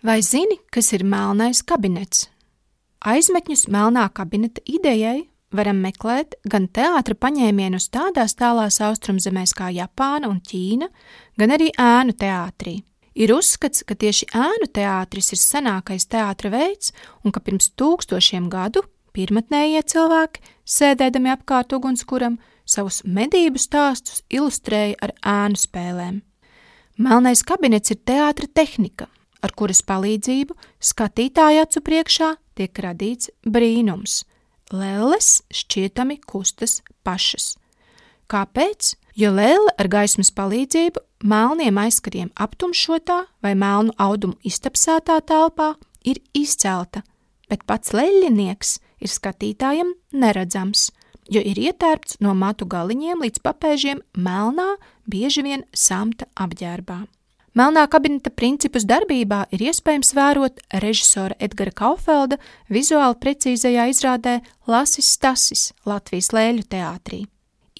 Vai zini, kas ir melnais kabinets? Aizmetņus melnā kabineta idejai varam meklēt gan teātra paņēmienus tādās tālās austrumzemēs kā Japāna un Ķīna, gan arī ēnu teātrī. Ir uzskats, ka tieši ēnu teātris ir senākais teātra veids un ka pirms 1000 gadu pirmatnējie cilvēki, sēdēdami apkārt ugunskuram, savus medību stāstus ilustrēja ar ēnu spēlēm. Melnais kabinets ir teātra tehnika, ar kuras palīdzību skatītāja acu priekšā tiek radīts brīnums. Lelles šķietami kustas pašas. Kāpēc? Jo lelle ar gaismas palīdzību melniem aizkariem aptumšotā vai melnu audumu iztapsētā telpā ir izcelta, bet pats leļinieks ir skatītājam neredzams, jo ir ietērpts no matu galiņiem līdz papēžiem melnā, bieži vien samta apģērbā. Melnā kabineta principus darbībā ir iespējams vērot režisora Edgara Kaufelda vizuāli precīzajā izrādē Lasis Stasis Latvijas Lēļu teātrī.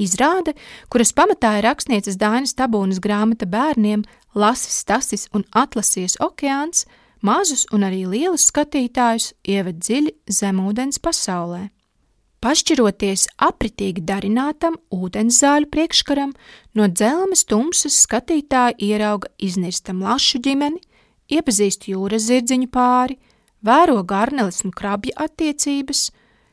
Izrāde, kuras pamatā ir rakstnieces Dainas Tabūnas grāmata bērniem Lasis Stasis un Atlasijas okeāns, mazus un arī lielus skatītājus ieved dziļi zemūdens pasaulē. Pašķiroties apritīgi darinātam ūdenszāļu priekškaram, no dzelmes tumsas skatītāji ierauga iznirstam lašu ģimeni, iepazīst jūras zirdziņu pāri, vēro garneles un krabja attiecības,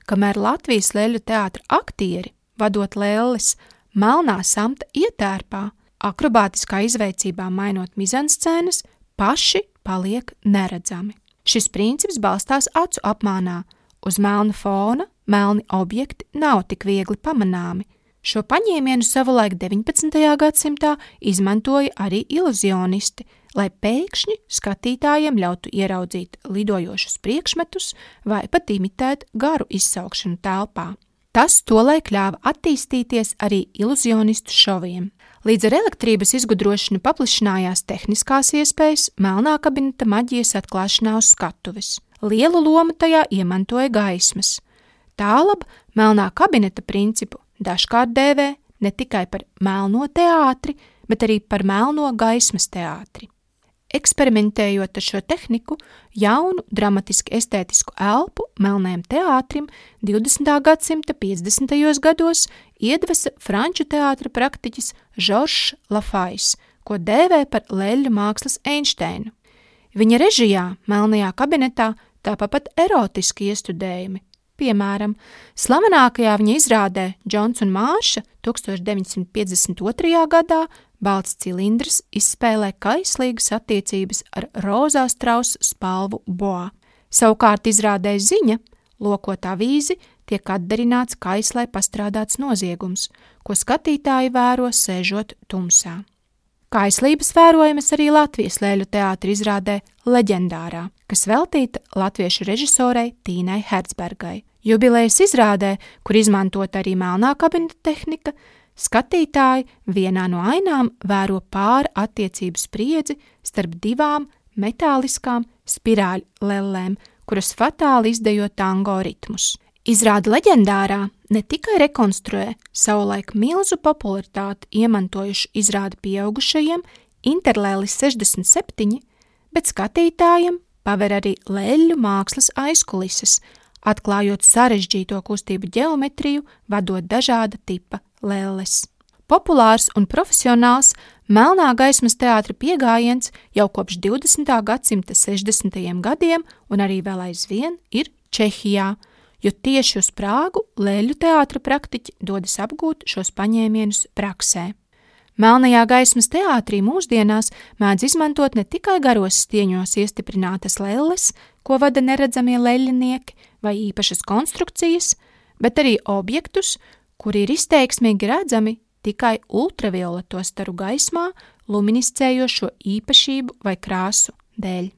kamēr Latvijas Lēļu teātra aktieri, vadot lelles, melnā samta ietērpā, akrobātiskā izveicībā mainot mizanscēnas, paši paliek neredzami. Šis princips balstās acu apmānā. Uz melna fona melni objekti nav tik viegli pamanāmi. Šo paņēmienu savulaik 19. gadsimtā izmantoja arī iluzionisti, lai pēkšņi skatītājiem ļautu ieraudzīt lidojošus priekšmetus vai pat imitēt garu izsaukšanu telpā. Tas tolaik ļāva attīstīties arī iluzionistu šoviem. Līdz ar elektrības izgudrošanu paplašinājās tehniskās iespējas melnā kabineta maģijas atklāšanā uz skatuves. Lielu lomu tajā iemantoja gaismas. Tālab melnā kabineta principu dažkārt dēvē ne tikai par melno teātri, bet arī par melno gaismas teātri. Eksperimentējot ar šo tehniku, jaunu, dramatiski estētisku elpu melnajam teātrim 20. gadsimta 50. gados iedvesa franču teātra praktiķis Žoržs Lafajs, ko dēvē par Leļļu mākslas Einsteinu. Viņa režijā melnajā kabinetā tāpat pat erotiski iestudējumi. Piemēram, slavenākajā viņa izrādē Džons un Mārša 1952. gadā balts cilindrs izspēlē kaislīgas attiecības ar rozā strausa spalvu boa. Savukārt izrādē Ziņa, lokot avīzi, tiek atdarināts kaislē pastrādāts noziegums, ko skatītāji vēro sēžot tumsā. Kaislības vērojamas arī Latvijas Lēļu teātra izrādē Leģendārā, kas veltīta latviešu režisorei Tīnai Hercbergai. Jubilejas izrādē, kur izmantot arī melnā kabineta tehnika, skatītāji vienā no ainām vēro pāra attiecību spriedzi starp divām metāliskām spirāļu lellēm, kuras fatāli izdejo tango ritmus. Izrāde Leģendārā ne tikai rekonstruē savulaik milzu popularitāti iemantojušu izrādi pieaugušajiem Interlēlis 67, bet skatītājiem paver arī Leļļu mākslas aizkulises, atklājot sarežģīto kustību ģeometriju, vadot dažāda tipa lelles. Populārs un profesionāls melnā gaismas teātra piegājiens jau kopš 20. gadsimta 60. gadiem un arī vēl aizvien ir Čehijā, jo tieši uz Prāgu Lēļu teātra praktiķi dodas apgūt šos paņēmienus praksē. Melnajā gaismas teātrī mūsdienās mēdz izmantot ne tikai garos stieņos iestiprinātas lelles, ko vada neredzamie leļinieki vai īpašas konstrukcijas, bet arī objektus, kuri ir izteiksmīgi redzami tikai ultravioleto staru gaismā luminiscējošo īpašību vai krāsu dēļ.